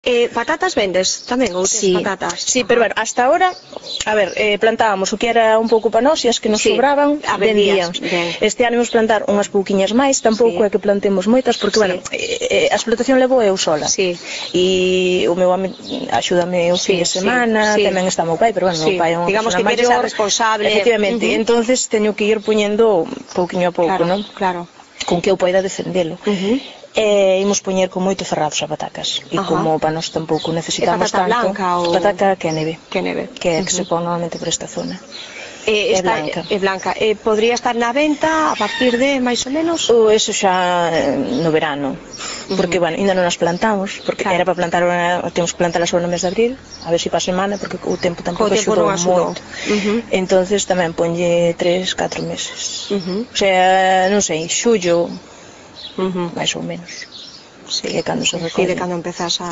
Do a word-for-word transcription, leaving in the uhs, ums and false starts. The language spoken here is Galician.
Eh, patatas vendes tamén, ou tes Sí, patatas? sí, pero bueno, hasta ahora, a ver, eh, plantábamos o que era un pouco para nós e as que nos Sí, sobraban, a vendías, vendíamos. ben. Este ano imos plantar unhas pouquiñas máis, tampouco Sí. é que plantemos moitas, porque, Sí. bueno, eh, a explotación levou eu sola. Sí. E o meu home axúdame o fin Sí, de sí, semana, sí. tamén está o meu pai, pero, bueno, o Sí. meu pai é unha Digamos persona que eres a maior. responsable. Efectivamente, Uh-huh. entonces teño que ir poñendo pouquiño a pouco, Claro, non? claro. Con que eu poida defendelo. Uh-huh. E imos poñer con moito ferrados a patacas. E Ajá. como para nós tampouco necesitamos patata tanto. blanca ou- Patata que é neve. Que neve. Que é que Uh-huh. se pon normalmente por esta zona. Eh, É está, blanca. É blanca. Eh, podría estar na venta a partir de máis ou menos? O eso xa eh, no verano. Porque, Uh-huh. bueno, ainda non as plantamos, porque Claro. era para plantar, una, temos que plantar só no mes de abril, a ver se si para a semana, porque o tempo tampouco O tempo axudou non axudou. moito. Uh-huh. Entonces tamén ponlle tres, catro meses. Uh-huh. O sea, non sei, xullo, Uh-huh. máis ou menos. Sí. Que é cando se Sí, recolle. de cando empezas a...